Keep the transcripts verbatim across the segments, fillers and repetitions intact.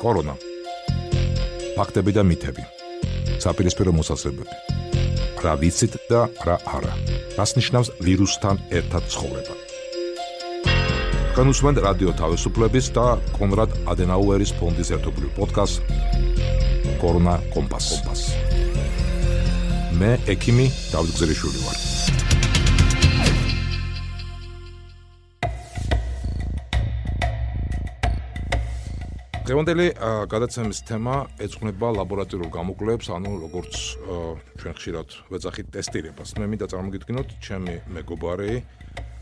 კორონა. ფაქტები და მითები. საპირისპირო მოსაზრებები. რა ვიცით და რა არა. რას ნიშნავს ვირუსთან ერთად ცხოვრება. განუსმენთ რადიო თავისუფლების და კონრად ადენაუერის ფონდის ერთობლივ პოდკასტ კორონა კომპასი. მე ექიმი დავით გზერიშვილი ვარ. დღევანდელი გადაცემის თემა ეძღვნება ლაბორატორიულ გამოკვლევებს, ანუ როგორც ჩვენ ხშირად ვეძახით ტესტირებას. მე მინდა წარმოგიდგინოთ ჩემი მეგობარი,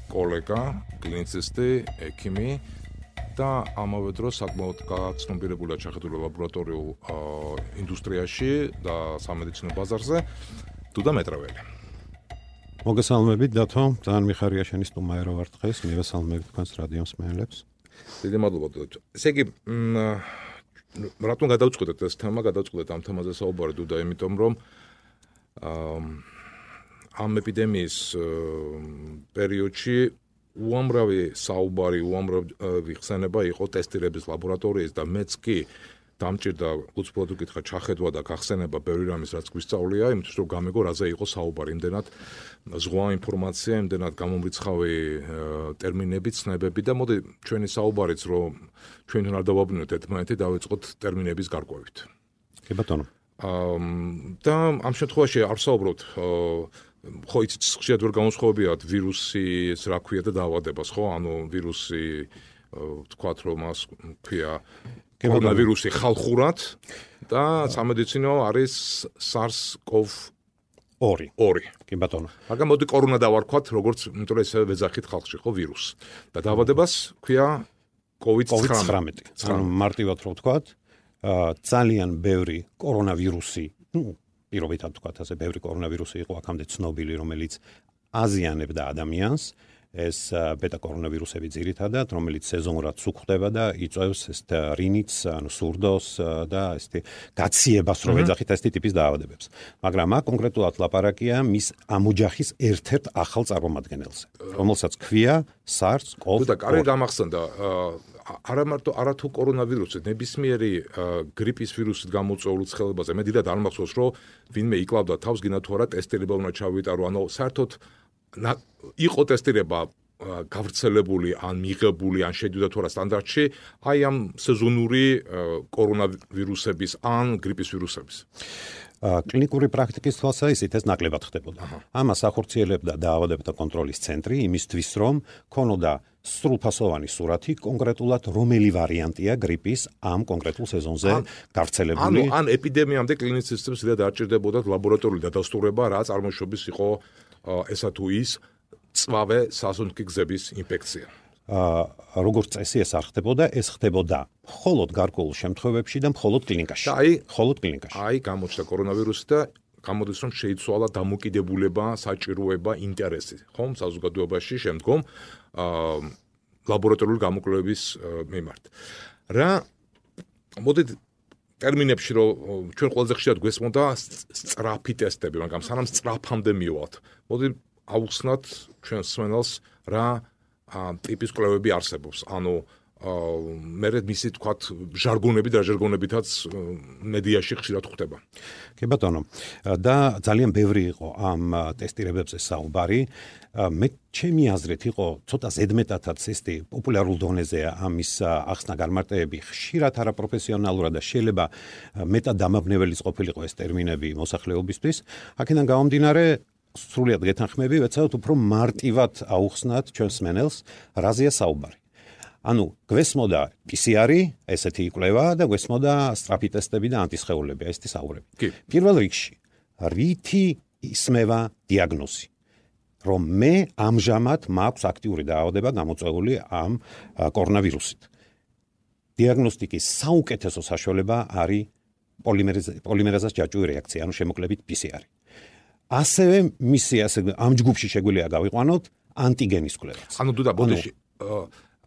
კოლეგა, კლინიცისტი, ექიმი და ამავე დროს საკმაოდ გაცნობიერებული ჩახედული ლაბორატორიულ ინდუსტრიაში და სამედიცინო ბაზარზე დუდა მეტრეველი. მოგესალმებით დათო, ძალიან მიხარია შენი სტუმარი ვარ დღეს, მივესალმებით თქვენს რადიო მსმენელებს. დიდი მადლობა დოდო. ესე იგი, რატომ გადავწყვეტეთ ეს თემა, გადავწყვეტეთ ამ თემაზე საუბარი დუდა, იმიტომ რომ ამ ეპიდემიის პერიოდში უამრავი საუბარი, უამრავი ხსენება იყო ტესტირების ლაბორატორიის და მეც კი დამჭირდა უცბად უკითხა ჩახედვა და გახსენება ბევრი რამის რაც გვისწავლია, იმიტომ რომ გამეგო რაზე იყო საუბარი, იმდენად ზღვა ინფორმაცია, იმდენად გამომრიცხავი ტერმინები, ცნებები და მოდი ჩვენი საუბარიც რომ ჩვენთან არ დავაბნიოთ ერთმანეთი, დავიწყოთ ტერმინების გარკვევით. კი ბატონო. და ამ შემთხვევაში არ ვსაუბრობთ ხო იცით ხშირად ვერ გამოსხოვებიათ ვირუსის რა ქვია და დაავადებას, ხო? ანუ ვირუსი ვთქვათ რომ მას ქვია კორონავირუსი ხალხურად და სამედიცინო არის SARS-CoV ორი. კი ბატონო. მაგრამ მოდი კორონა დავარქვათ, როგორც იმიტომ რომ ესე ვეძახით ხალხში, ხო, ვირუსი. და დაავადებას ქვია კოვიდ ცხრამეტი. ანუ მარტივად რო ვთქვათ, ძალიან ბევრი კორონავირუსი, ნუ პირობითად ვთქვათ, ასე ბევრი კორონავირუსი იყო აქამდე ცნობილი, რომელიც აზიანებდა ადამიანს. ეს ბეტა კორონავირუსები ძირითადად, რომელიც სეზონურად სუქდება და იწვევს ეს რინიც, ანუ სურდოს და ესეთი გაციებას, რო ეძახით ეს ტიპის დაავადებებს. მაგრამ აქ კონკრეტულად ლაპარაკია მის ამ ოჯახის ერთ-ერთ ახალ წარმომადგენელზე, რომელსაც ქვია SARS-CoV. და კარგი გამახსენდა, არა მარტო არათუ კორონავირუსი, ნებისმიერი გრიპის ვირუსით გამოწვეული ცხელებაზე. მე დიდად არ მახსოვს, რომ ვინმე იკლავდა თავს, გინდა თუ არა ტესტირება უნდა ჩავიტარო, ანუ საერთოდ იყო ტესტირება გავრცელებული ან მიღებული ან შედიოდა თუ არა სტანდარტში აი ამ სეზონური კორონავირუსების ან გრიპის ვირუსების. კლინიკური პრაქტიკის თვალსაზრისით ეს ნაკლებად ხდებოდა. ამას ახორციელებდა დაავადებათა კონტროლის ცენტრი იმისთვის, რომ ქონოდა სრულფასოვანი სურათი კონკრეტულად რომელი ვარიანტია გრიპის ამ კონკრეტულ სეზონზე გავრცელებული. ანუ ან ეპიდემიამდე კლინიცისტებს tidak არჩერდებოდათ ლაბორატორიული დადასტურება, რა წარმოშობის იყო ესა თუ ის წვავე სასუნთქი გზების ინფექცია. როგორც წესი ეს არ ხდებოდა, ეს ხდებოდა მხოლოდ გარკვეულ შემთხვევებში და მხოლოდ კლინიკაში. და აი, მხოლოდ კლინიკაში. აი გამოჩნდა კორონავირუსი და გამოდის რომ შეიცვალა დამოკიდებულება, საჭიროება, ინტერესი, ხომ, საზოგადოებაში შემდგომ ლაბორატორიული გამოკვლევების მიმართ. რა მოდით ტერმინებში რომ ჩვენ ყველაზე ხშირად გვესმოდა სწრაფი ტესტები, მაგრამ სანამ სწრაფამდე მივალთ. მოდი ავუხსნათ ჩვენ მსმენელს რა ტიპის კვლევები არსებობს. ანუ მე მისი თქვათ ჟარგონები და ჟარგონებითაც მედიაში ხშირად ხვდება. კი ბატონო. და ძალიან ბევრი იყო ამ ტესტირებებზე საუბარი. მე ჩემი აზრით იყო ცოტა ზედმეტადაც ესეთი პოპულარულ დონეზეა ამის ახსნა განმარტებები ხშირად არაპროფესიონალურად და შეიძლება მეტად დამაბნეველიც ყოფილიყო ეს ტერმინები მოსახლეობისთვის. აქედან გამომდინარე სრულიად გეთანხმები, ვეცადოთ უფრო მარტივად აუხსნათ ჩვენს მსმენელს რაზეა საუბარი. ანუ გვესმოდა პი სი არი, ესეთი კვლევა და გვესმოდა სწრაფი ტესტები და ანტისხეულები, ესეთი საუბრები. პირველ რიგში, რითი ისმევა დიაგნოზი, რომ მე ამჟამად მაქვს აქტიური დაავადება გამოწვეული ამ კორონავირუსით. დიაგნოსტიკის საუკეთესო საშუალება არის პოლიმერაზას ჯაჭვური რეაქცია, ანუ შემოკლებით პი სი არი. ასევე მისი ასე ამ ჯგუფში შეგვიძლია გავიყვანოთ ანტიგენის კვლევაც. ანუ დუდა ბოდიში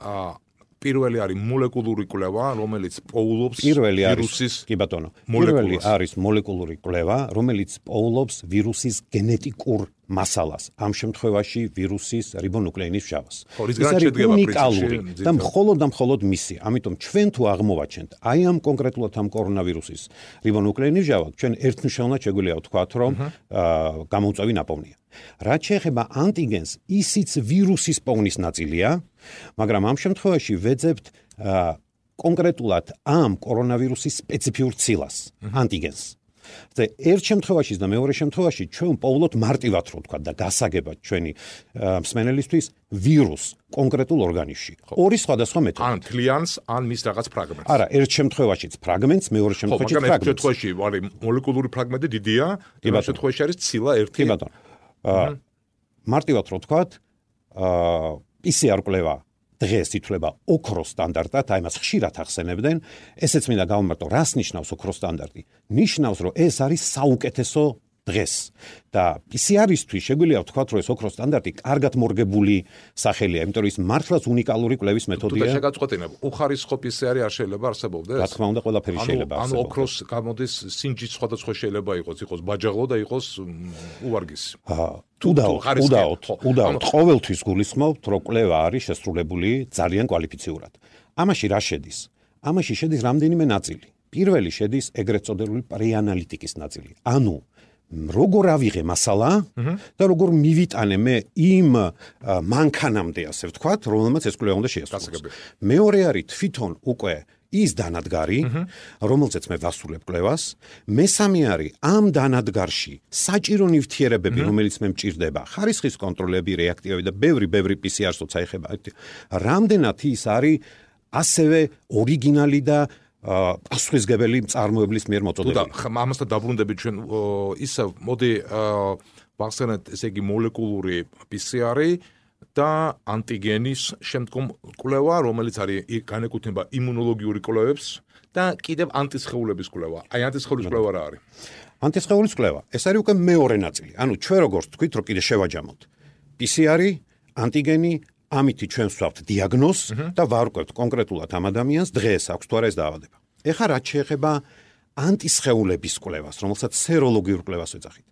აა პირველი არის მოლეკულური კვლევა, რომელიც პოულობს ვირუსის კი ბატონო. პირველი არის მოლეკულური კვლევა, რომელიც პოულობს ვირუსის გენეტიკურ მასალას, ამ შემთხვევაში ვირუსის რიბონუკლეინის მჟავას. ის არის უნიკალური და მხოლოდ და მხოლოდ მისი. ამიტომ ჩვენ თუ აღმოვაჩენთ აი ამ კონკრეტულად ამ კორონავირუსის რიბონუკლეინის მჟავა, ჩვენ ერთნიშნულად შეგვიძლია ვთქვათ, რომ გამოუწვევი ნაპოვნია. რაც შეეხება ანტიგენს, ისიც ვირუსის პოვნის ნაწილია, მაგრამ ამ შემთხვევაში ვეძებთ კონკრეტულად ამ კორონავირუსის სპეციფიურ ცილას, ანტიგენს. და ერთ შემთხვევაში და მეორე შემთხვევაში ჩვენ პოვლობთ მარტივად რო ვთქვა და გასაგებად ჩვენი მსმენელისთვის ვირუს კონკრეტულ ორგანიზმში. ორი სხვადასხვა მეთოდი. ან თლიანს, ან მის რაღაც ფრაგმენტს. არა, ერთ შემთხვევაშიც ფრაგმენტს, მეორე შემთხვევაში ფრაგმენტს. მაგრამ ერთ შემთხვევაში არის მოლეკულური ფრაგმენტი დიდია, იმ შემთხვევაში არის ცილა ერთი. კი ბატონო. აა მარტივად რო ვთქვა, აა პი სი არ კვლევა დღეს ითვლება ოქროს სტანდარტად, აი მას ხშირად ახსენებდნენ. ესეც მინდა გავუმარტო, რას ნიშნავს ოქროს სტანდარტი? ნიშნავს, რომ ეს არის საუკეთესო დღეს. და პი სი არ-ისთვის შეგვიძლია ვთქვათ, რომ ეს ოქროს სტანდარტი კარგად მორგებული სახელია, იმიტომ რომ ის მართლაც უნიკალური კვლევის მეთოდია. თუ შეგაწყვეტინებ, უხარისხო პი სი არი არ შეიძლება არსებობდეს? რა თქმა უნდა, ყველაფერი შეიძლება არსებობდეს. ანუ ოქროს გამოდის სინჯის სხვადასხვა შეიძლება იყოს, იყოს ბაჯაღლო და იყოს უვარგისი. აა უდაოდ, უდაოდ, უდაოდ. ყოველთვის გულისხმობთ, რომ კვლევა არის შესრულებული ძალიან კვალიფიციურად. ამაში რა შედის? ამაში შედის რამდენიმე ნაწილი. პირველი შედის ეგრეთ წოდებული პრეანალიტიკის ნაწილი. ანუ როგორ ავიღე მასალა და როგორ მივიტანე მე იმ მანქანამდე, ასე ვთქვათ, რომელმაც ეს კვლევა უნდა შეასრულოს. მეორე არის თვითონ უკვე ის დანადგარი, რომელზეც მე ვასრულებ კვლევას. მესამე არის ამ დანადგარში საჭირო ნივთიერებები, რომელიც მე მჭირდება, ხარისხის კონტროლები, რეაქტივები და ბევრი ბევრი პი სი არ-ს ეხება. რამდენად ის არის ასევე ორიგინალი და პასუხისგებელი მწარმოებლის მიერ მოწოდებული. და ამასთან დაბრუნდებით ჩვენ ისე მოდი ვახსენოთ, ესე იგი მოლეკულური პი სი არი და ანტიგენის შემდგომ კვლევა, რომელიც არის განეკუთვნება იმუნოლოგიური კვლევებს და კიდევ ანტისხეულების კვლევა. აი ანტისხეულის კვლევა რა არის? ანტისხეულის კვლევა, ეს არის უკვე მეორე ნაწილი. ანუ ჩვენ როგორც თქვით, რომ კიდე შევაჯამოთ. პი სი არი, ანტიგენი, ამითი ჩვენ ვსვავთ დიაგნოზს და ვარკვევთ კონკრეტულად ამ ადამიანს დღეს აქვს თუ არა ეს დაავადება. ეხლა რაც შეეხება ანტისხეულების კვლევას, რომელსაც სეროლოგიურ კვლევას ვეძახით.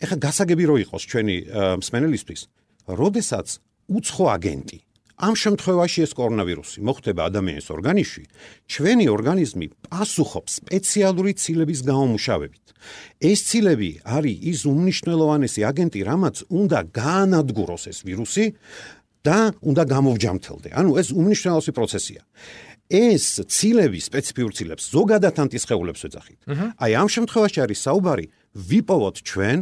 ეხლა გასაგები რო იყოს ჩვენი მსმენელისთვის, როდესაც უცხო აგენტი, ამ შემთხვევაში ეს კორონავირუსი მოხვდება ადამიანის ორგანიზმში, ჩვენი ორგანიზმი პასუხობს სპეციალური ცილების გამომუშავებით. ეს ცილები არის ის უმნიშვნელოვანესი აგენტი, რამაც უნდა გაანადგუროს ეს ვირუსი და უნდა გამოვჯამთელდე. ანუ ეს უმნიშვნელოვანესი პროცესია. ეს ცილები, სპეციფიურ ცილებს, ზოგადად ანტისხეულებს ვეძახით. აი ამ შემთხვევაში არის საუბარი, ვიპოვოთ ჩვენ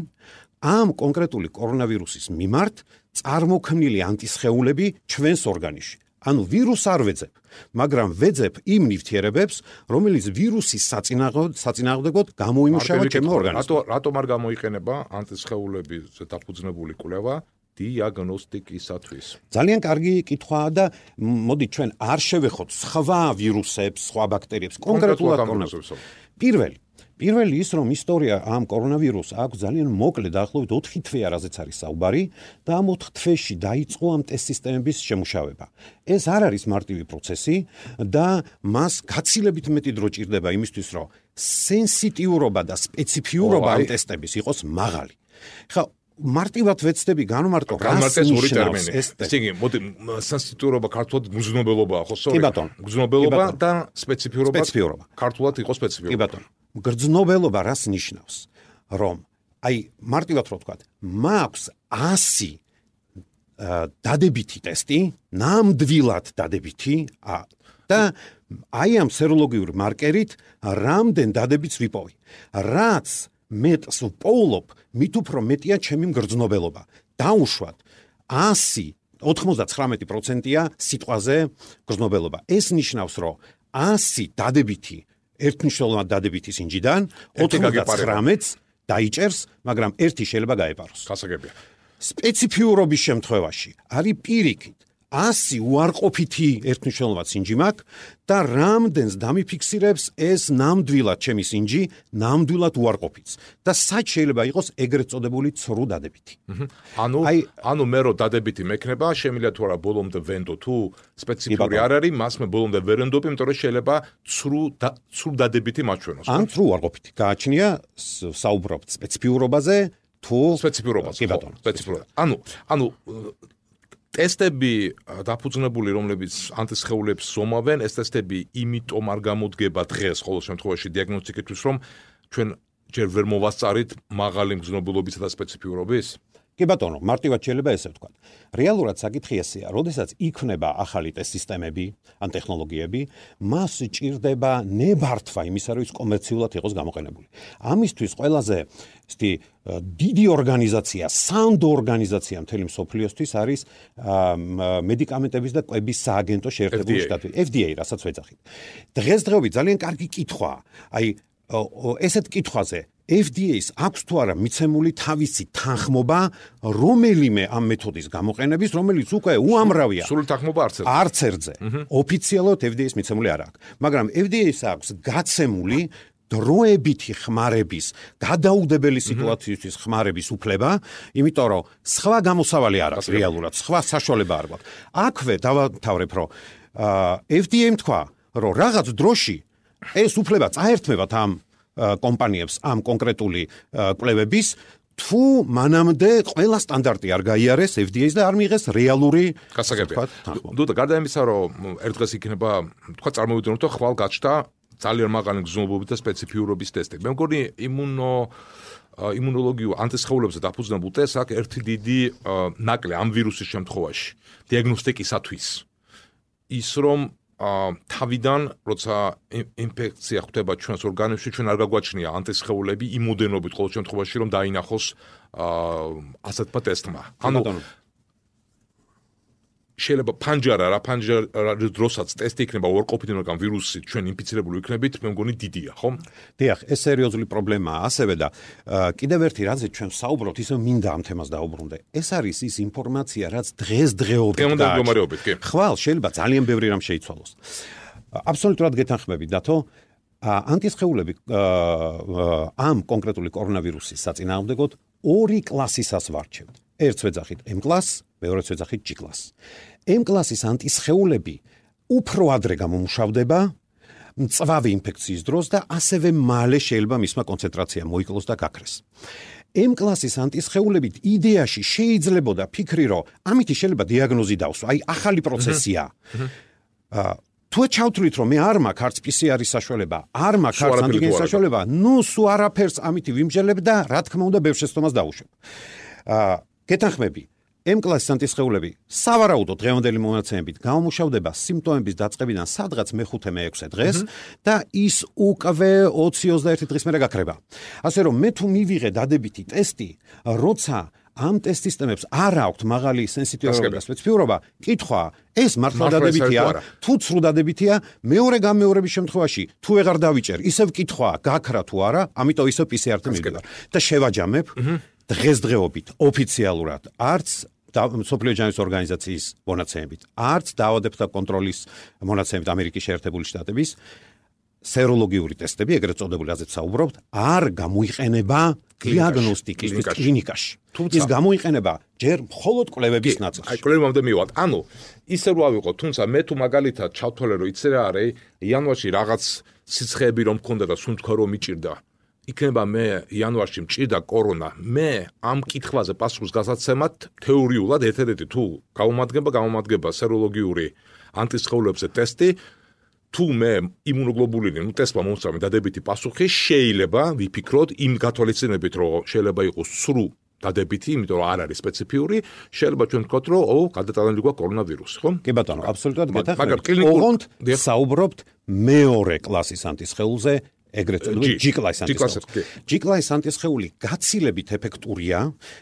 ამ კონკრეტული კორონავირუსის მიმართ წარმოქმნილი ანტისხეულები ჩვენს ორგანიზმში. ანუ ვირუსს არ ვეძებ, მაგრამ ვეძებ იმ ნივთიერებებს, რომელიც ვირუსის საწინააღმდეგოდ გამოიმუშავა ჩემო ორგანიზმში. რატო რატომ არ გამოიყენება ანტისხეულების დაფუძნებული კვლევა დიაგნოსტიკისათვის? ძალიან კარგი კითხვაა და მოდი ჩვენ არ შევეხოთ სხვა ვირუსებს, სხვა ბაქტერიებს, კონკრეტულად კორონავირუსს. პირველი პირველი ის, რომ ისტორია ამ კორონავირუსს აქვს ძალიან მოკლე, დაახლოებით ოთხი თვეა, რაზეც არის საუბარი და ამ ოთხ თვეში დაიწყო ამ ტესტ სისტემების შემუშავება. ეს არ არის მარტივი პროცესი და მას გაცილებით მეტი დრო ჭირდება იმისთვის, რომ სენსიტიურობა და სპეციფიურობა ამ ტესტების იყოს მაღალი. ხა მარტივად ვეცდები განმარტო რას ნიშნავს ეს ტესტი. ესე იგი, მოდი სენსიტიურობა ქართულად გრძნობელობაა, ხო, სწორედ? კი ბატონო. გრძნობელობა და სპეციფიურობა. სპეციფიურობა. ქართულად იყოს სპეციფიურობა. კი ბატონო. გრძნობელობა რას ნიშნავს? რომ აი მარტივად რო ვთქვათ, მაქვს ასი დადებითი ტესტი, ნამდვილად დადებითი და აი ამ სეროლოგიურ მარკერით რამდენ დადებითს ვიპოვი. რაც მეტს ვპოულობ, მით უფრო მეტია ჩემი მგრძნობელობა. დაუშვათ ასი ოთხმოცდათხრამეტი პროცენტია სიტყვაზე გრძნობელობა. ეს ნიშნავს, რომ ასი დადებითი ერთნიშნულად დადებითი სინჯიდან ოცდათხრამეტს დაიჭერს, მაგრამ ერთი შეიძლება გაეპაროს. გასაგებია. სპეციფიურობის შემთხვევაში არის პირიქით ასი უარყოფითი ერთნიშნულად სინჯი მაქვს და რამდენს დამიფიქსირებს ეს ნამდვილად ჩემი სინჯი, ნამდვილად უარყოფითს და სად შეიძლება იყოს ეგრეთ წოდებული ცრუ დადებითი. ანუ ანუ მე რო დადებითი მექნება, შემიძლია თუ არა ბოლომდე ვენდო თუ სპეციფიური არ არის, მას მე ბოლომდე ვერ ვენდობ, იმიტომ რომ შეიძლება ცრუ ცრუ დადებითი მაჩვენოს. ან ცრუ უარყოფითი. გააჩნია საუბრობთ სპეციფიურობაზე თუ სპეციფიკურობას. კი ბატონო, სპეციფიკურობა. ანუ, ანუ ტესტები დაფუძნებული, რომლებიც ანტისხეულებს ზომავენ, ეს ტესტები იმიტომ არ გამოდგება დღეს ყოველ შემთხვევაში დიაგნოსტიკისთვის, რომ ჩვენ ჯერ ვერ მოვასწარით მაღალი მგზნობელობისა და სპეციფიკურობის? კი ბატონო, მარტივად შეიძლება ესე ვთქვა. რეალურად საკითხი ესეა, როდესაც იქნება ახალი ტესტ სისტემები, ან ტექნოლოგიები, მას ჭირდება ნებართვა იმისა, რომ ის კომერციულად იყოს გამოყენებული. ამისთვის ყველაზე ისეთი დიდი ორგანიზაცია, სანდო ორგანიზაცია მთელი მსოფლიოსთვის არის მედიკამენტების და კვების სააგენტო შეერთებული შტატები, F D A, რასაც ვეძახით. დღესდღეობით ძალიან კარგი კითხვაა. აი ესეთ კითხვაზე F D A-ს აქვს თუ არა მიცემული თავისი თანხმობა რომელიმე ამ მეთოდის გამოყენების, რომელიც უკვე უამრავია. სრული თანხმობა არც ერთ. არც ერთზე. ოფიციალურად F D A-ს მიცემული არ აქვს. მაგრამ F D A-ს აქვს გაცემული დროებითი ხმარების, გადაუდებელი სიტუაციისთვის ხმარების უფლება, იმიტომ რომ სხვა გამოსავალი არ აქვს რეალურად, სხვა საშუალება არ გვაქვს. აქვე დავათავრებ, რომ F D A-მ თქვა, რომ რაღაც დროში ეს უფლება წაერთმევათ ამ კომპანიებს ამ კონკრეტული კვლევების თუ მანამდე ყველა სტანდარტი არ გაიარეს F D A-ს და არ მიიღეს რეალური გასაგებია. დუდა, გარდა იმისა, რომ ერთ დღეს იქნება, თქვა წარმოვიდგინოთ, რომ ხვალ გაჩნდა ძალიან მაღალი მგზნობელობით და სპეციფიურობის ტესტები. მე მგონი იმუნო იმუნოლოგიურ ანტისხეულებზე დაფუძნებულ ტესტს აქ ერთი დიდი ნაკლი ამ ვირუსის შემთხვევაში დიაგნოსტიკისათვის ის რომ თავიდან როცა ინფექცია ხვდება ჩვენს ორგანიზმში, ჩვენ არ გაგვაჩნია ანტისხეულები იმოდენობით ყოველ შემთხვევაში რომ დაინახოს ასეთმა ტესტმა. ანუ შეიძლება ფანჯარა რა ფანჯარა დროსაც ტესტი იქნება უარყოფითი, მაგრამ ვირუსი ჩვენ ინფიცირებული ვიქნებით, მე მგონი დიდია, ხო? დიახ, ეს სერიოზული პრობლემაა ასევე და კიდევ ერთი რაზე ჩვენ საუბრობთ, ისე მინდა ამ თემას დაუბრუნდე. ეს არის ის ინფორმაცია, რაც დღესდღეობით და ხვალ შეიძლება ძალიან ბევრი რამ შეიცვალოს. აბსოლუტურად გეთანხმებით, დათო, ანტისხეულები ამ კონკრეტული კორონავირუსის საწინააღმდეგოდ ორი კლასისას ვარჩევთ. ერთს ვეძახით M კლასს, მეორეც ვეძახით G კლასს. M კლასის ანტისხეულები უფრო ადრე გამომუშავდება მწვავე ინფექციის დროს და ასევე მალე შეიძლება მისმა კონცენტრაცია მოიკლოს და გაქრეს. M კლასის ანტისხეულებით იდეაში შეიძლებოდა ფიქრი, რომ ამით შეიძლება დიაგნოზი დავსვა, აი ახალი პროცესია. თუ ჩავთვლით, რომ მე არ მაქვს არც P C R-ის საშუალება, არ მაქვს არც ანტიგენის საშუალება, ნუ სულ არაფერს ამით ვიმჯელებ და რა თქმა უნდა ბევრ შეცდომას დავუშვებ. გეთანხმები, M კლასის ანტისხეულები სავარაუდოდ დღევანდელი მონაცემებით გამომუშავდება სიმპტომების დაწყებიდან სადღაც მეხუთე მეექვსე დღეს და ის უკვე ოცი ოცდაერთი დღის მერე გაქრება. ასე რომ მე თუ მივიღე დადებითი ტესტი, როცა ამ ტესტ სისტემებს არ აქვთ მაღალი სენსიტივობა და სპეციფიკურობა, კითხვაა, ეს მართლა დადებითია, თუ ცრუ დადებითია, მეორე გამეორების შემთხვევაში თუ ვეღარ დავიჭერ, ისევ კითხვაა, გაქრა თუ არა, ამიტომ ისევ P C R-თან მივიდივარ და შევაჯამებ დღესდღეობით ოფიციალურად არც მსოფლიო ჯანმრთელობის ორგანიზაციის მონაცემებით, არც დაავადებათა კონტროლის მონაცემებით ამერიკის შეერთებული შტატების სეროლოგიური ტესტები, ეგრეთ წოდებული, რაზეც საუბრობთ, არ გამოიყენება დიაგნოსტიკისთვის კლინიკაში. ის გამოიყენება ჯერ მხოლოდ კვლევების ნაწილში. აი კვლევამდე მივად. ანუ ისე რო ავიღოთ, თუმცა მე თუ მაგალითად ჩავთვალე, რომ იცი რა არის, იანვარში რაღაც სიცხეები რომ მქონდა და სუნთქვა რომ მიჭირდა, იქნება მე იანვარში მჭირდა კორონა. მე ამ კითხვაზე პასუხს გასაცემად თეორიულად ერთ-ერთი თუ გამომადგება, გამომადგება სეროლოგიური ანტისხეულებზე ტესტი, თუ მე იმუნოგლობულინი, ნუ ტესტმა მომსწრაფე დადებითი პასუხი, შეიძლება ვიფიქროთ იმ გათვალისწინებით, რომ შეიძლება იყოს სრულ დადებითი, იმიტომ რომ არ არის სპეციფიური, შეიძლება ჩვენ ვთქვათ, რომ ო, გადატანილი გვაქვს კორონავირუსი, ხო? კი ბატონო, აბსოლუტურად გეთანხმებით. ოღონდ საუბრობთ მეორე კლასის ანტისხეულზე, ეგრეთ წოდებული G კლასის ანტისხეული. G კლასის ანტისხეული გაცილებით ეფექტურია,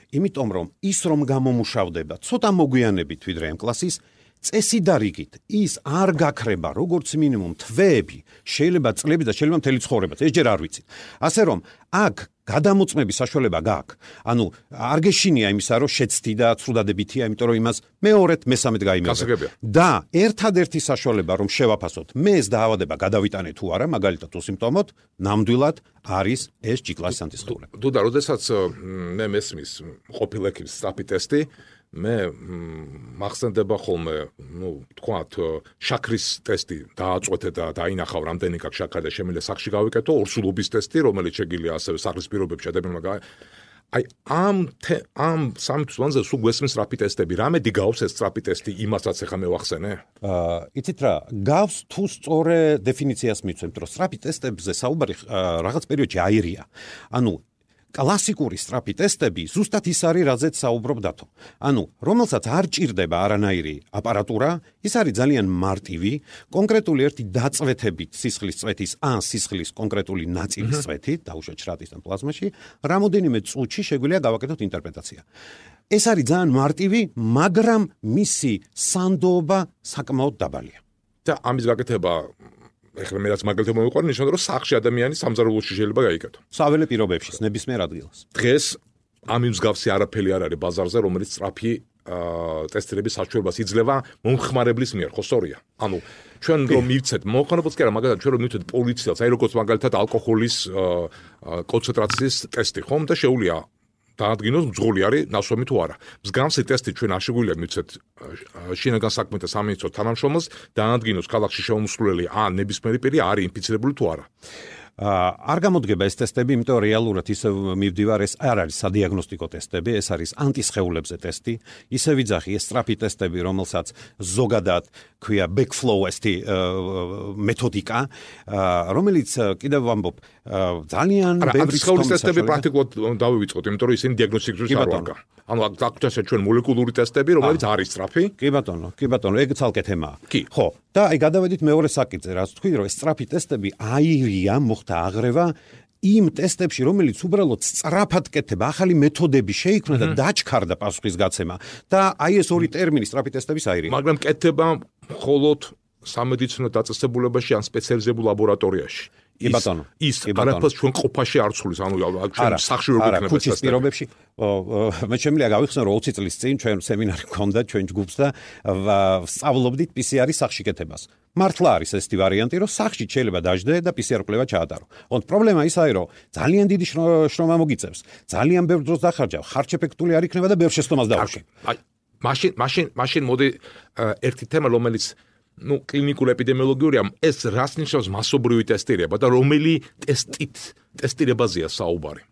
იმიტომ რომ ის რომ გამომუშავდება ცოტა მოგვიანებით ვიდრე M კლასის, წესი და რიგით ის არ გაქრება როგორც მინიმუმ თვეები, შეიძლება წლები და შეიძლება მთელი ცხოვრებაც, ეს ჯერ არ ვიცით. ასე რომ აქ გადამოწმების საშუალება გაქვს. ანუ არ გეშინია იმისა, რომ შეცდი და ცრუდადებითია, იმიტომ რომ იმას მეორედ, მესამედ გაიმეორებ. და ერთადერთი საშუალება რომ შევაფასოთ, მე ეს დაავადება გადავიტანე თუ არა, მაგალითად თუ სიმპტომოთ, ნამდვილად არის ეს G კლასის ანტისხეული. დუდა, როდესაც მე მესმის ყოფილ ექიმს სწრაფი ტესტი, მე მახსენდება ხოლმე, ну, თქვათ, შაქრის ტესტი დააწყვეტე და დაინახავ რამდენი გაქვს შაქარი და შემიძლია სახში გავიკეთო, ორსულობის ტესტი, რომელიც შეგიძლია ასევე სახლის პირობებში ადამიანმა. აი ამ ამ სამი თვის მანძილზე სულ გვესმის სწრაფი ტესტები. რამედი გავს ეს სწრაფი ტესტი იმასაც ახლა მე ვახსენე? აა იცით რა, გავს თუ სწორე დეფინიციას მიცემთ, რომ სწრაფი ტესტებზე საუბარი რაღაც პერიოდში აირია. ანუ კლასიკური სწრაფი ტესტები ზუსტად ის არის, რაზეც საუბრობ დათო. ანუ, რომელსაც არ ჭირდება არანაირი აპარატურა, ის არის ძალიან მარტივი, კონკრეტული ერთი დაწვეთებით სისხლის წვეთის ან სისხლის კონკრეტული ნაწილის წვეთით, დაუშვათ შრატის ან პლაზმაში, რამოდენიმე წუთში შეგვიძლია გავაკეთოთ ინტერპრეტაცია. ეს არის ძალიან მარტივი, მაგრამ მისი სანდოობა საკმაოდ დაბალია. და ამის გაკეთება ეხლა მე რაც მაგალითად მოვიყვანე, ნიშნავდა, რომ სახში ადამიანი სამზარეულოში შეიძლება გაიკეთო. საველე პირობებში, ნებისმიერ ადგილას. დღეს ამ მსგავსი არაფერი არ არის ბაზარზე, რომელიც სწრაფი ტესტირების საშუალებას იძლევა მომხმარებლის მიერ, ხო სწორია? ანუ ჩვენ რომ მივცეთ, მომხმარებელს კი არა, მაგალითად ჩვენ რომ მივცეთ პოლიციას, აი როგორც მაგალითად ალკოჰოლის კონცენტრაციის ტესტი, ხომ და შეუძლია დაადგინოს მძღოლი არის ნასვამი თუ არა. მსგავსი ტესტი ჩვენ არ შეგვიძლია მივცეთ შინაგან საქმეთა სამინისტროს თანამშრომელს დაადგინოს ქალაქში შემოსვლელი ან ნებისმიერი პირი არის ინფიცირებული თუ არა. არ გამოდგება ეს ტესტები, იმიტომ რომ რეალურად ისე მივდივარ, ეს არ არის სადიაგნოსტიკო ტესტები, ეს არის ანტისხეულებზე ტესტი. ისე ვიძახი, ეს სწრაფი ტესტები, რომელსაც ზოგადად ქვია backflow ესეთი მეთოდიკა, რომელიც კიდევ ვამბობ, ძალიან ბევრი სხეულის ტესტები პრაქტიკულად დავივიწყოთ, იმიტომ რომ ისინი დიაგნოსტიკისთვის არ ვარგა. ანუ აქ ჩვენ მოლეკულური ტესტები, რომელიც არის სწრაფი. კი ბატონო, კი ბატონო, ეგ ცალკე თემაა. ხო, და აი გადავედით მეორე საკითხზე, რაც თქვი, რომ ეს სწრაფი ტესტები აირია და აღრევა იმ ტესტებში, რომელიც უბრალოდ სწრაფად კეთდება, ახალი მეთოდები შეიქმნა და დაჩქარდა პასუხისგაცემა და აი ეს ორი ტერმინი სწრაფი ტესტების აირია. მაგრამ კეთდება მხოლოდ სამედიცინო დაწესებულებაში ან სპეციალიზებულ ლაბორატორიაში. კი ბატონო, ის არაფერს ჩვენ ყოფაში არ ცვლის, ანუ ჩვენ სახში ვერ გვიქნება ეს ტესტები. პირობებში მე შემიძლია გავიხსენო, რომ ოცი წლის წინ ჩვენ სემინარი გქონდა ჩვენ ჯგუფს და სწავლობდით პი სი არის სახში კეთებას. მართლა არის ესეთი ვარიანტი, რომ სახში შეიძლება დაждდე და პი სი არ კვლევა ჩაატარო. ოღონდ პრობლემა ის არის, რომ ძალიან დიდი შრომა მოგიწევს, ძალიან ბევრ დროს დახარჯავ, ხარჯ-ეფექტური არ იქნება და ბევრ შეცდომას დავუშვებ. აი, მაშინ, მაშინ, მაშინ მოდი ერთი თემა, რომელიც ну კლინიკურ ეპიდემიოლოგიურია, ეს რას ნიშნავს მასობრივი ტესტირება და რომელი ტესტით ტესტირებაზეა საუბარი?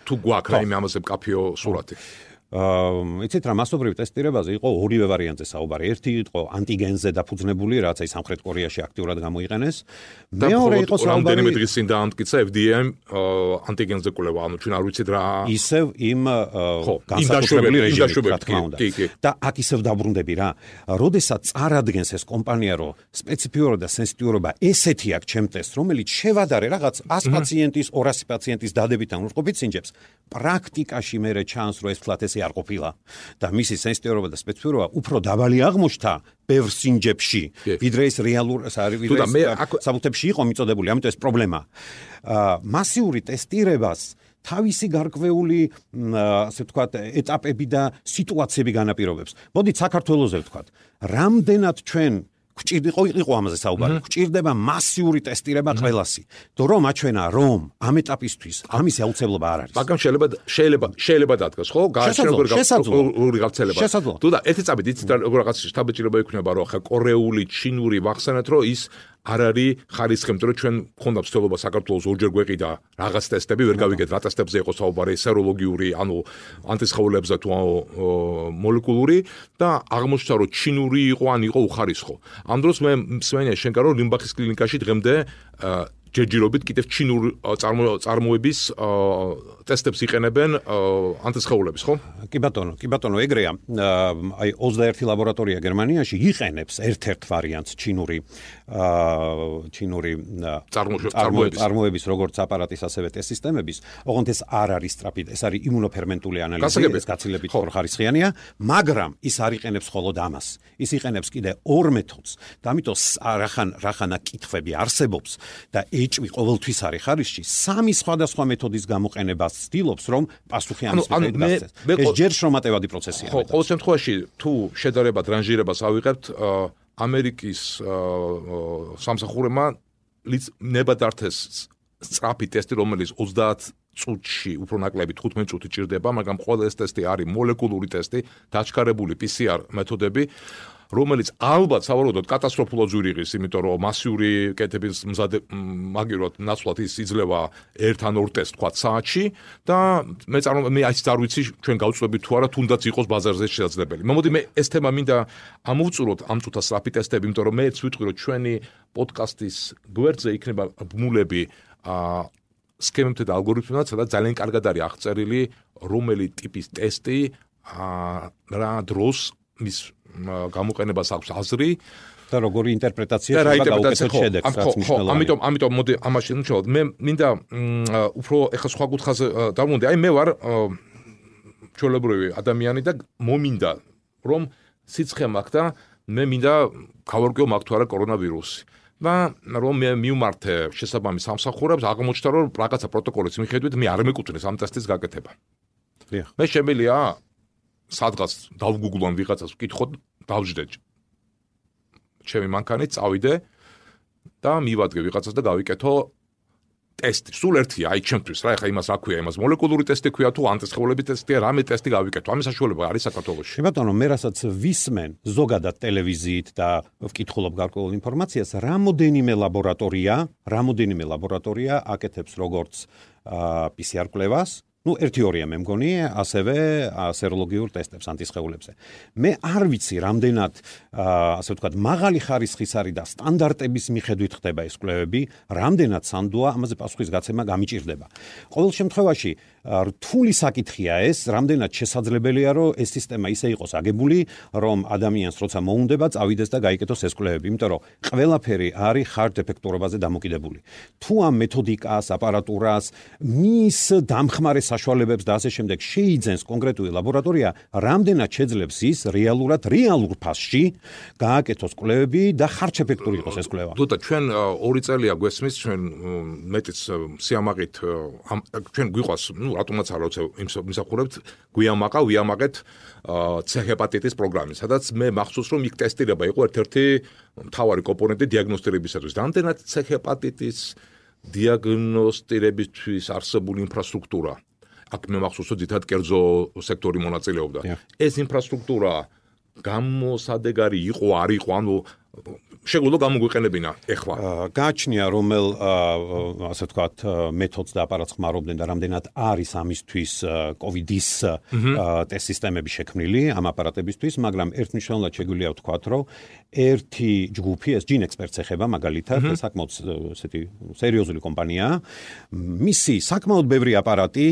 თუ გვაქვს რაიმე ამაზე მკაფიო სურათი. აა იცით რა, მასობრივი ტესტირებაზე იყო ორივე ვარიანტზე საუბარი. ერთი იყო ანტიგენზე დაფუძნებული, რაც აი სამხრეთ კორეაში აქტიურად გამოიყენეს. მეორე იყო საუბარი რამდენიმე დღის წინ დაამტკიცა ეფ დი ეიმ ანტიგენზე კვლევა, ანუ ჩვენ არ ვიცით რა ისევ იმ განსაკუთრებული რეჟიმით, რა თქმა უნდა. და აქ ისევ დაბრუნდები რა. როდესაც წარადგენს ეს კომპანია, რომ სპეციფიურობა და სენსიტიურობა ესეთი აქვს ჩემ ტესტს, რომელიც შევადარე რაღაც ას პაციენტის, ორასი პაციენტის დადებიდან უწყობით სინჯებს, პრაქტიკაში მე ჩანს, რომ ეს ფლატ ესე არ ყოფილა და მისი სენსიტიურობა და სპეციფიურობა უფრო დაბალი აღმოჩნდა ბევრ სინჯებში, ვიდრე ეს რეალურ საბუთებში იყო მიწოდებული, ამიტომ ეს პრობლემაა. მასიური ტესტირებას თავისი გარკვეული, ასე ვთქვათ, ეტაპები და სიტუაციები განაპირობებს. მოდით საქართველოზე ვთქვათ, რამდენად ჩვენ გვჭირდება იყო ამაზე საუბარი. გვჭირდება მასიური ტესტირება ყველასი. და რომ აჩვენა, რომ ამ ეტაპისთვის ამისი აუცილებლობა არ არის. მაგრამ შეიძლება შეიძლება შეიძლება დადგას, ხო? გააჩნია გავრცელება. თუ და ერთი წამით იცით რაღაც შტაბეჭირება იქნება, რომ ხა კორეული, ჩინური ვახსენეთ, რომ ის არ არის ხარისხი, იმიტომ რომ ჩვენ გქონდა ცდილობა საქართველოს ორჯერ გვეყიდა რაღაც ტესტები, ვერ გავიგეთ რა ტესტებზე იყო საუბარი, სეროლოგიური, ანუ ანტისხეულებზე თუ მოლეკულური და აღმოჩნდა, რომ ჩინური იყო ან იყო უხარისხო. ამ დროს მე მსმენია შენკა, რომ ლიმბახის კლინიკაში დღემდე ჯერჯერობით კიდევ ჩინურ წარმოების ტესტებს იყენებენ ანტისხეულების, ხო? კი ბატონო, კი ბატონო, ეგრეა. აი ოცდაერთი ლაბორატორია გერმანიაში იყენებს ერთ-ერთ ვარიანტს ჩინური ჩინური წარმოების როგორც აპარატის, ასევე ტესტ სისტემების. ოღონდ ეს არ არის სწრაფი, ეს არის იმუნოფერმენტული ანალიზი, ეს გაცილებით ხორხარისხიანია, მაგრამ ის არ იყენებს მხოლოდ ამას. ის იყენებს კიდე ორ მეთოდს. და ამიტომ რახან რახანა კითხვები არსებობს და ეჭვი ყოველთვის არის ხარისში, სამი სხვადასხვა მეთოდის გამოყენებას ცდილობს, რომ პასუხი ამის მიხედვით გასცეს. ეს ჯერ შრომატევადი პროცესია. ხო, ყოველ შემთხვევაში, თუ შედარებად რანჟირებას ავიღებთ, ამერიკის სამსახურებმა ნებადართეს სწრაფი ტესტი, რომელიც ოცდაათ წუთში უფრო ნაკლები თხუთმეტ წუთი ჭირდება, მაგრამ ყველა ეს ტესტი არის მოლეკულური ტესტი, დაჩქარებული პი სი არ მეთოდები. რომელიც ალბათ სავარაუდოდ კატასტროფულად ზვირიღის, იმიტომ რომ მასიური კეთების მზადე მაგივრად ნაცვლად ის იძლევა ერთ ან ორ ტესტს თქვა საათში და მე წარმო მე აიც არ ვიცი ჩვენ გავწვევით თუ არა თუნდაც იყოს ბაზარზე შესაძლებელი. მოდი მე ეს თემა მინდა ამოვწუროთ ამ წუთას სწრაფი ტესტები, იმიტომ რომ მეც ვიტყვი რომ ჩვენი პოდკასტის გვერდზე იქნება ბმულები აა სქემებთან და ალგორითმებთან, სადაც ძალიან კარგად არის აღწერილი რომელი ტიპის ტესტი აა რა დროს მის გამოყენებას აქვს აზრი და როგორი ინტერპრეტაცია შეიძლება გაუკეთოთ შედეგს, რაც მნიშვნელოვანია. ამიტომ ამიტომ მოდი ამაში ნუჩავთ. მე მინდა უფრო ეხა სხვა კუთხაზე დავმონდი. აი მე ვარ ჩვეულებრივი ადამიანი და მომინდა რომ სიცხე მაქვს და მე მინდა გავარკვიო მაქვს თუ არა კორონავირუსი. და რომ მე მივმართე შესაბამის სამსახურებს, აღმოჩნდა რომ რაღაცა პროტოკოლის მიხედვით მე არ მეკუთვნის ამ ტესტის გაკეთება. მე შემიძლია სადღაც დავგუგლონ ვიღაცას ვკითხოთ, დავждდე ჩემი მანქანით, წავიდე და მივადგე ვიღაცას და გავიკეთო ტესტი. სულ ერთია, აი ჩემთვის რა, ეხა იმას რა ქვია, იმას მოლეკულური ტესტი ქვია თუ ანტისხეულების ტესტია, რამე ტესტი გავიკეთო. ამის საშუალება არის საქართველოში. ბატონო, მე რასაც ვისმენ ზოგადად ტელევიზიით და ვკითხულობ გარკვეულ ინფორმაციას, რამოდენიმე ლაბორატორია, რამოდენიმე ლაბორატორია აკეთებს როგორც პი სი არ კვლევას, ну ერთი ორია მე მგონი, ასევე სეროლოგიურ ტესტებს ანტისხეულებზე. მე არ ვიცი რამდენად ასე ვთქვათ მაღალი ხარისხის არის და სტანდარტების მიხედვით ხდება ეს კვლევები, რამდენად სანდოა, ამაზე პასუხის გაცემა გამიჭირდება. ყოველ შემთხვევაში რთული საკითხია ეს, რამდენად შესაძლებელია რომ ეს სისტემა ისე იყოს აგებული, რომ ადამიანს როცა მოუნდება წავიდეს და გაიკეთოს ეს კვლევები, იმიტომ რომ ყველაფერი არის hard ეფექტურობაზე დამოკიდებული. თუ ამ მეთოდიკას, აპარატურას, მის დამხმარე საშუალებებს და ასე შემდეგ შეიძენს კონკრეტული ლაბორატორია, რამდენად შეძლებს ის რეალურად რეალურ ფასში გააკეთოს კვლევები და ხარჯეფექტური იყოს ეს კვლევა. თუთა ჩვენ ორი წელია გვესმის, ჩვენ მეტიც სიამაყით ჩვენ გვიყვას, ну რატომაც არ ვიცი იმსახურებთ, გვიამაყა, ვიამაყეთ C ჰეპატიტის პროგრამის, სადაც მე მახსოვს რომ იქ ტესტირება იყო ერთ-ერთი მთავარი კომპონენტი დიაგნოსტირებისათვის. რამდენად C ჰეპატიტის დიაგნოსტირებისთვის არსებული ინფრასტრუქტურა აქ მე მახსოვს რომ ძირითადად კერძო სექტორი მონაწილეობდა. ეს ინფრასტრუქტურა გამოსადეგარი იყო, არ იყო, ანუ შეგვიძლია გამოგვიყენებინა ეხლა. გააჩნია რომელ ასე ვთქვათ მეთოდს და აპარატს ხმარობდნენ და რამდენად არის ამისთვის კოვიდის ტესტ სისტემები შექმნილი ამ აპარატებისთვის, მაგრამ ერთმნიშვნელოვნად შეგვიძლია ვთქვათ, რომ ერთი ჯგუფი, ეს Gene Experts ეხება მაგალითად, საკმაოდ ესეთი სერიოზული კომპანია, მისი საკმაოდ ბევრი აპარატი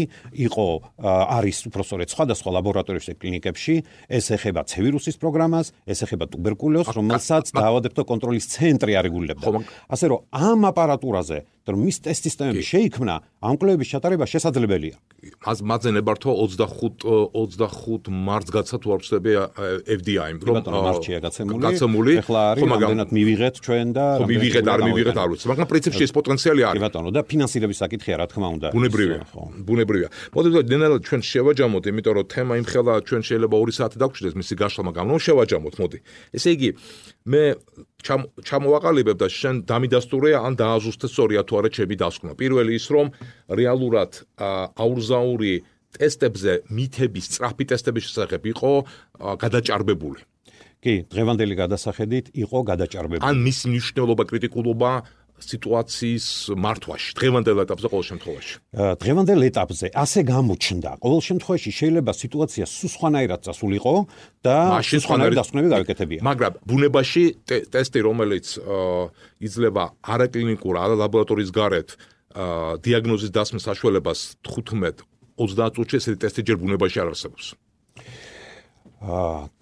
იყო არის უпроსორეთ სხვადასხვა ლაბორატორიებში და კლინიკებში, ეს ეხება C ვირუსის პროგრამას, ეს ეხება ტუბერკულოზს, რომელსაც დაავადებათა კონტროლის ცენტრი არეგულირებდა. ასე რომ ამ აპარატურაზე, რომ მის ტესტ სისტემები შეიქმნა, ამ კვლევების ჩატარება შესაძლებელია. მათზე ნებართვა ოცდახუთ მარტს გაცა თუ არ ვცდები F D I-მ, რომ მარტშია გაცემული. ეხლა არის რამდენად მივიღეთ ჩვენ და ხო მივიღეთ, არ მივიღეთ არ ვიცი, მაგრამ პრინციპში ეს პოტენციალი არის. ბატონო, და ფინანსირების საკითხია, რა თქმა უნდა. ბუნებრივია, ბუნებრივია. მოდით ნენელად ჩვენ შევაჯამოთ, იმიტომ რომ თემა იმხელა ჩვენ შეიძლება ორი საათი დაგვჭირდეს მისი გაშლა, მაგრამ რომ შევაჯამოთ, მოდი. ესე იგი, მე ჩამოვაყალიბებ და შენ დამიდასტურე ან დააზუსტე სწორია თუ არა ჩემი დასკვნა. პირველი ის რომ რეალურად აურზაური ტესტებზე მითების, სწრაფი ტესტების შესახებ იყო გადაჭარბებული. კი, დღევანდელი გადასახედით იყო გადაჭარბებული. ან მისი მნიშვნელობა, კრიტიკულობა სიტუაციის მართვაში, დღევანდელ ეტაპზე ყოველ შემთხვევაში. დღევანდელ ეტაპზე ასე გამოჩნდა. ყოველ შემთხვევაში შეიძლება სიტუაცია სულ სხვანაირად წასულიყო და სხვანაირი დასკვნები გავეკეთებია. მაგრამ ბუნებაში ტესტი, რომელიც იძლევა არაკლინიკურ, არალაბორატორიის გარეთ დიაგნოზის დასმის საშუალებას თხუთმეტ ოცდაათ წუთში ესეთი ტესტი ჯერ ბუნებაში არ არსებობს.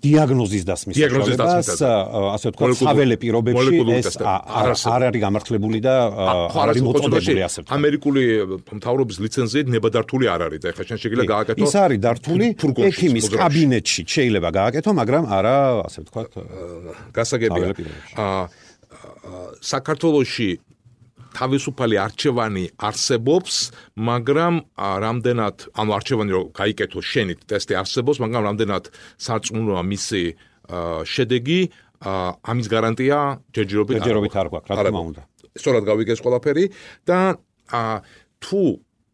დიაგნოზის დასმის საშუალებას, ასე ვთქვათ, საველე პირობებში ეს არ არის გამართლებული და არ არის მოწოდებული ასე ვთქვათ. ამერიკული მთავრობის ლიცენზიით ნებადართული არ არის და ეხლა შენ შეგიძლია გააკეთო. ის არის დართული ექიმის კაბინეტში შეიძლება გააკეთო, მაგრამ არა, ასე ვთქვათ, გასაგებია. საქართველოში თავისუფალი არჩევანი არსებობს, მაგრამ რამდენად, ანუ არჩევანი რომ გაიკეთო შენით ტესტი არსებობს, მაგრამ რამდენად სარწმუნოა მისი შედეგი, ამის გარანტია ჯერჯერობით ჯერჯერობით არ გვაქვს, რა თქმა უნდა. სწორად გავიგეს ყველაფერი და თუ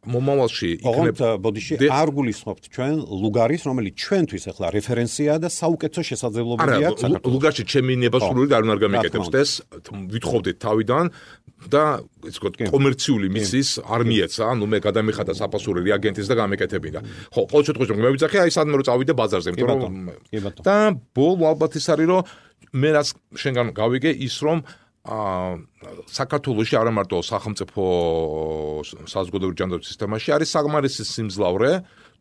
მომავალში იქნება ბოდიში არ გულისხმობთ ჩვენ ლუგარის, რომელიც ჩვენთვის ახლა რეფერენციაა და საუკეთესო შესაძლებლობებია საქართველოს. ლუგარში ჩემი ნებასრული და არ უნდა გამიკეთებს ეს ვითხოვდით თავიდან და ის ვთქვათ კომერციული მისის არ მიეცა, ანუ მე გადამიხადა საფასური რეაგენტის და გამეკეთებინა. ხო, ყოველ შემთხვევაში მე ვიცახე აი სადმე რომ წავიდე ბაზარზე, იმიტომ რომ და ბოლო ალბათ ის არის რომ მე რაც შენგან გავიგე ის რომ აა საქართველოში არა მარტო სახელმწიფო საზოგადოებრივი ჯანდაცვის სისტემაში არის საკმარისი სიმძლავრე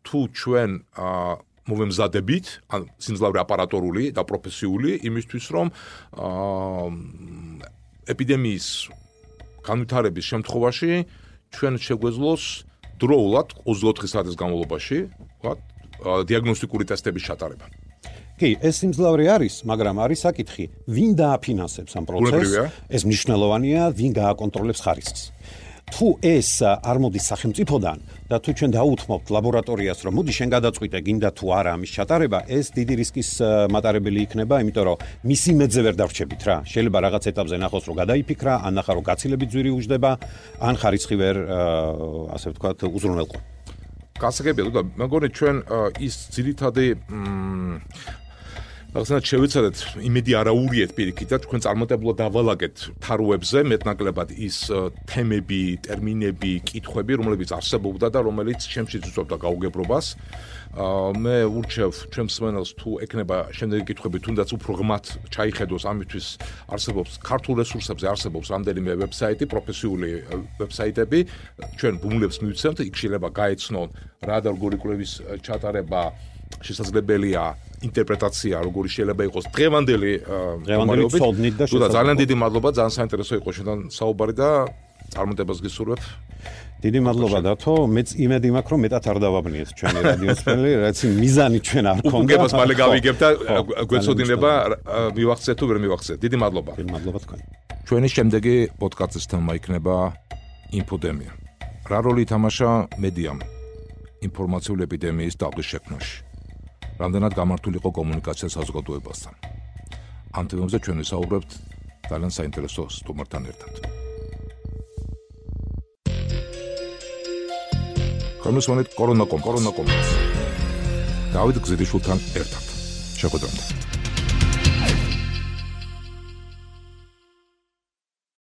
თუ ჩვენ აა მოვემზადებით ან სიმძლავრე აპარატორული და პროფესიული იმისთვის რომ აა ეპიდემიის განვითარების შემთხვევაში ჩვენ შეგვეძლოს დროულად ოცდაოთხი საათის განმავლობაში ვთქვათ დიაგნოსტიკური ტესტების ჩატარება. კი, ეს სიმძლავრე არის, მაგრამ არის საკითხი, ვინ დააფინანსებს ამ პროცესს? ეს მნიშვნელოვანია, ვინ გააკონტროლებს ხარისხს. თუ ეს არ მოდის სახელმწიფოდან და თუ ჩვენ დაუთმობთ ლაბორატორიას, რომ მოდი შენ გადაწყვიტე, გინდა თუ არა ამის ჩატარება, ეს დიდი რისკის მატარებელი იქნება, იმიტომ რომ მისი მეძე ვერ დავრჩებით რა. შეიძლება რაღაც ეტაპზე ნახოს, რომ გადაიფიქრა, ან ნახა, რომ გაცილებით ძვირი უჯდება, ან ხარისხი ვერ ასე ვთქვათ უზრუნველყო. გასაგებია და მეგონი ჩვენ ის ძირითადი რაღაცნაირად შევეცადეთ იმედი არაურიეთ პირიქით და თქვენ წარმატებულად დავალაგეთ თაროებზე მეტნაკლებად ის თემები, ტერმინები, კითხვები, რომლებიც არსებობდა და რომელიც ჩემში ძუძობდა გაუგებრობას. მე ურჩევ ჩემს მსმენელს თუ ეკნება შემდეგი კითხვები თუნდაც უფრო ღმათ ჩაიხედოს ამისთვის არსებობს ქართულ რესურსებზე არსებობს რამდენიმე ვებსაიტი, პროფესიული ვებსაიტები, ჩვენ ბუმლებს მივცემთ, იქ შეიძლება გაეცნონ რა და როგორი კვლევის ჩატარება შესაძლებელია ინტერპრეტაცია როგორი შეიძლება იყოს დღევანდელი დღევანდელი ცოდნით და შესაძლებლობით. ძალიან დიდი მადლობა, ძალიან საინტერესო იყო შენთან საუბარი და წარმატებას გისურვებ. დიდი მადლობა დათო, მეც იმედი მაქვს რომ მეტად არ დავაბნიეთ ჩვენი რადიოსმენელი, რაც მიზანი ჩვენ არ ქონდა. უგებას მალე გავიგებ და გვეცოდინება მივახცეთ თუ ვერ მივახცეთ. დიდი მადლობა. დიდი მადლობა თქვენ. ჩვენი შემდეგი პოდკასტის თემა იქნება ინფოდემია. რა როლი ითამაშა მედიამ ინფორმაციული ეპიდემიის დაღლის შექმნაში? რამდენად გამართული იყო კომუნიკაცია საზოგადოებასთან? ამ თემებზე ჩვენ ვისაუბრებთ ძალიან საინტერესო სტუმართან ერთად. კომისიონით კორონაკომ, კორონაკომ. დავით გზირიშვილთან ერთად. შეხვედრამდე.